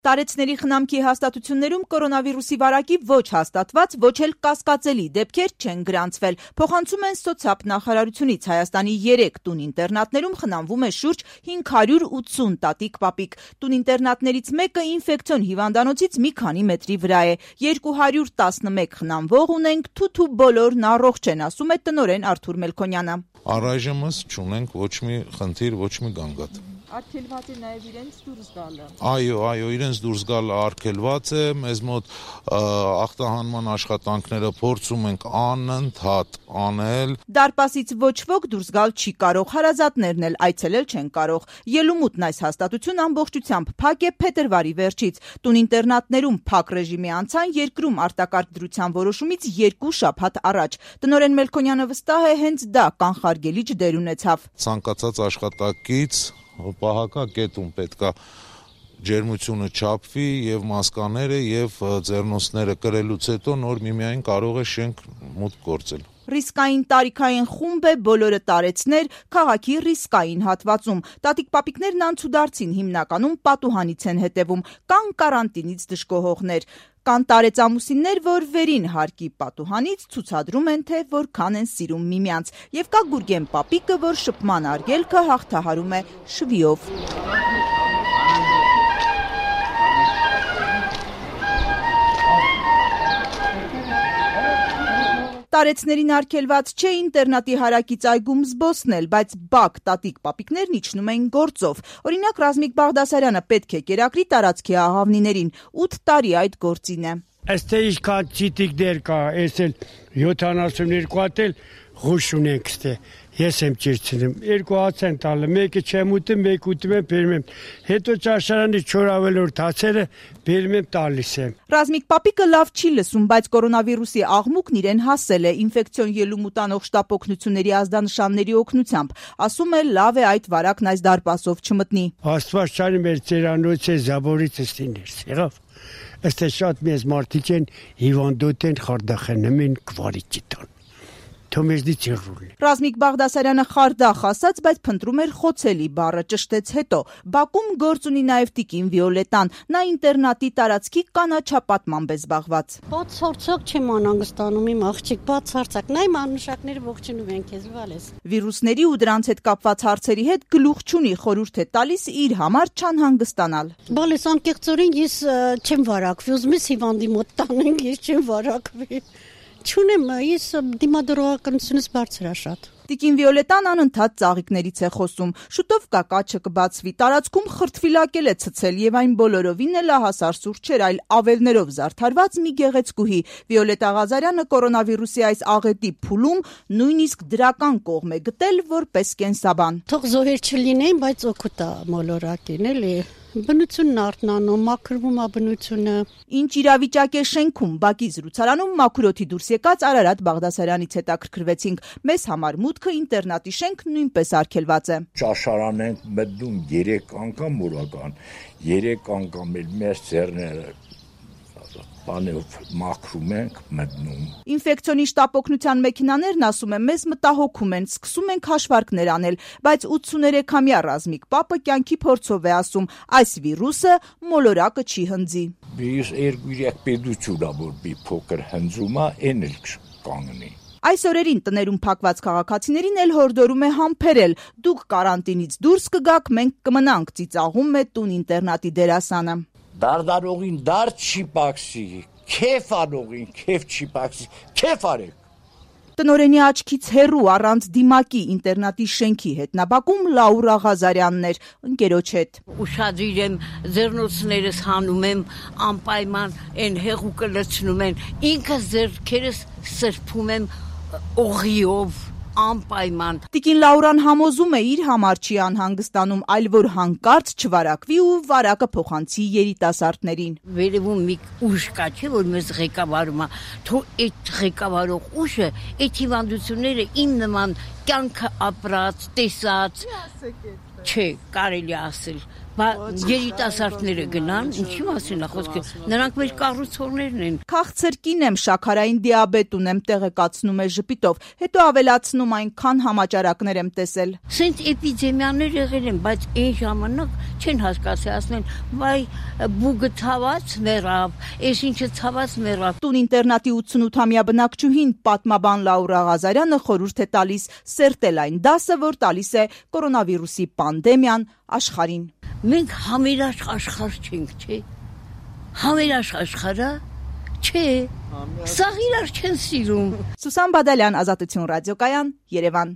Տարեցների խնամքի հաստատություններում կորոնավիրուսի վարակի ոչ հաստատված, ոչ էլ կասկածելի դեպքեր չեն գրանցվել։ Փոխանցում են սոցիալ նախարարությունից Հայաստանի 3 տուն-ինտերնատներում խնամվում է շուրջ 580 տատիկ-պապիկ։ Տուն-ինտերնատներից մեկը ինֆեկցիոն հիվանդանոցից մի քանի մետրի վրա է։ 211 խնամվող ունենք, թութու բոլորն առողջ են, ասում է տնօրեն Արթուր Մելքոնյանը։ Առայժմս չունենք ոչ մի խնդիր, ոչ մի գանգատ։ Արգելված է նաև իրենց դուրս գալը։ Այո, իրենց դուրս գալը արգելված է, մեզ մոտ ախտահանման աշխատանքները փորձում ենք անընդհատ անել։ Դարպասից ոչ ոք դուրս գալ չի կարող, հարազատներն էլ այցելել չեն կարող։ Ելումուտն այս հաստատությունն ամբողջությամբ փակ է փետրվարի վերջից։ Տուն-ինտերնատներում փակ ռեժիմի անցան երկրում արտակարգ դրության որոշումից 2 շաբաթ առաջ։ Տնօրեն Մելքոնյանը վստահ է, հենց դա կանխարգելիչ դեր ունեցավ։ Ցանկացած աշխատակից պահակակետում պետքա ջերմությունը չափվի եւ մասկաները եւ ձեռնոցները կրելուց հետո նոր միմիայն կարող է շենք մուտք գործել։ Ռիսկային տարիքային խումբ է բոլորը տարեցներ քաղաքի ռիսկային հատվածում։ Տատիկ-պապիկներն անցուդարձին հիմնականում պատուհանից են հետևում, կան կարանտինից դժգոհողներ։ Կան տարեցամուսիններ, որ վերին հարկի պատուհանից ցուցադրում են, թե որքան են սիրում միմյանց։ Եվ կա Գուրգեն պապիկը, որ շփման արգելքը հաղթահարում է շվիով։ Տարեցներին արգելված չէ ինտերնատի հարակից այգում զբոսնել, բայց բակ տատիկ-պապիկներն իջնում են գործով։ Օրինակ Ռազմիկ Բաղդասարյանը պետք է կերակրի տարածքի աղավնիներին, 8 տարի այդ գործին է։ Այստեղ ինչքան ցիտիկ դեր կա, էս էլ 72 հատ էլ ղուշ ունենք ստե։ Ես եմ ճիրցնում, 2 հաց են տալը, մեկը չեմ ուտում, մեկը ուտում եմ, բերում եմ։ Հետո ճաշարանի 4 ավելորդ հացերը բերում եմ տալիս եմ։ Ռազմիկ պապիկը լավ չի լսում, բայց կորոնավիրուսի աղմուկն իրեն հասել է ինֆեկցիոն ելումուտանող շտապ օգնությունների ազդանշանների օգնությամբ։ Ասում է լավ է այդ վարակն այս դարպասով չմտնի։ Աստված չանի մեր ծերանոց է զաբորից ստիներ, եղավ։ Ըստ շատ մեծ մարդիկ են հիվանդոտ են խարդախնում են կվարի ճիտան։ Ռազմիկ Բաղդասարյանը խարդախ ասաց, բայց փնտրում էր խոցելի բառը, ճշտեց հետո։ Բաքում գործ ունի նաև տիկին Վիոլետան, նա ինտերնատի տարածքի կանաչապատմամբ է զբաղված։ Բացարձակ չեմ անհանգստանում իմ աղջիկ, բացարձակ, նայ մանուշակները ողջունում են քեզ, վալես։ Վիրուսների ու դրանց հետ կապված հարցերի հետ գլուխ չունի, խորհուրդ է տալիս իր համար չանհանգստանալ։ Բալես անկեղծորեն ես չեմ վարակվի, ուզում ես հիվանդի մոտ տանենք, ես չեմ վարակվի։ Չունեմ, ես դիմադրողականությունս բարձր է շատ։ Տիկին Վիոլետան անընդհատ ծաղիկներից է խոսում։ Շուտով կակաչը կբացվի, տարածքում խրտվիլակել է ցցել եւ այն բոլորովին էլ ահասար սուրճ չէր, այլ ավելներով զարդարված մի գեղեցկուհի։ Վիոլետա Ղազարյանը կորոնավիրուսի այս աղետի փուլում նույնիսկ դրական կողմ է գտել որպես կենսաբան։ Թող զոհեր չլինեն, բայց օգուտ է մոլորակին, էլի։ Բնությունն արթնանում, մաքրվում է բնությունը։ Ինչ իրավիճակ է շենքում, բակի զրուցարանում մաքրոթի դուրս եկած Արարատ Բաղդասարյանից հետաքրքրվեցինք։ Մեզ համար մուտքը ինտերնատի շենք նույնպես արգելված է։ Ճաշարան ենք մտնում 3 անգամ օրական, 3 անգամ էլ մեր ծերները բանով մաքրում ենք մտնում։ Ինֆեկցիոնի շտապ օգնության մեքենաներն, ասում եմ, մեզ մտահոգում են, սկսում ենք հաշվարկներ անել, բայց 83-ամյա Ռազմիկ պապը կյանքի փորձով է ասում, այս վիրուսը մոլորակը չի հնձի։ Ես 2-3 պետություն ա որ մի փոքր հնձում է, այն էլ կանգնի։ Այս օրերին տներում փակված քաղաքացիներին էլ հորդորում է համբերել։ Դուք կարանտինից դուրս կգաք, մենք կմնանք, ծիծաղում է տուն-ինտերնատի դերասանը։ Դարդարողին դար չի պակսի, քեֆ անողին քեֆ չի պակսի, քեֆ արեք։ Տնօրենի աչքից հեռու առանց դիմակի ինտերնատի շենքի հետնաբակում Լաուրա Ղազարյանն էր ընկերոջ հետ։ Ուշադրիր եմ, ձեռնոցներս հանում եմ, անպայման այն հեղուկը լցնում են, ինքս ձեռքերս սրբում եմ օղիով, անպայման։ Տիկին Լաուրան համոզում է իր համար չի անհանգստանում, այլ որ հանկարծ չվարակվի ու վարակը փոխանցի երիտասարդներին։ Վերևում մի ուժ կա, չէ՞ որ մեզ ղեկավարում է, թող այդ ղեկավարող ուժը, այդ հիվանդությունները իմ նման կյանքը ապրած, տեսած, չէ, կարելի ասել, երիտասարդները գնան, ինչի մասին է խոսքը, նրանք մեր կառուցողներն են։ Քաղցր կին եմ, շաքարային դիաբետ ունեմ, տեղեկացնում է ժպիտով, հետո ավելացնում այնքան համաճարակներ եմ տեսել։ Սենց էպիդեմիաներ եղել են, բայց այն ժամանակ չեն հասկացել, ասեն, վայ բուգը ցաված մեռավ, այս ինչը ցաված մեռավ։ Տուն ինտերնատի 88-ամյա բնակչուհին պատմաբան Լաուրա Ղազարյանը խորհուրդ է տալիս սերտել այն դասը, որ տալիս է կորոնավիրուսի պանդեմիան աշխարհին։ Մենք համերաշխ աշխարհ չենք, չէ՞։ Համերաշխ աշխարհը չէ։ Սաղ իրար չեն սիրում։ Սուսան Բադալյան, Ազատություն ռադիոկայան, Երևան։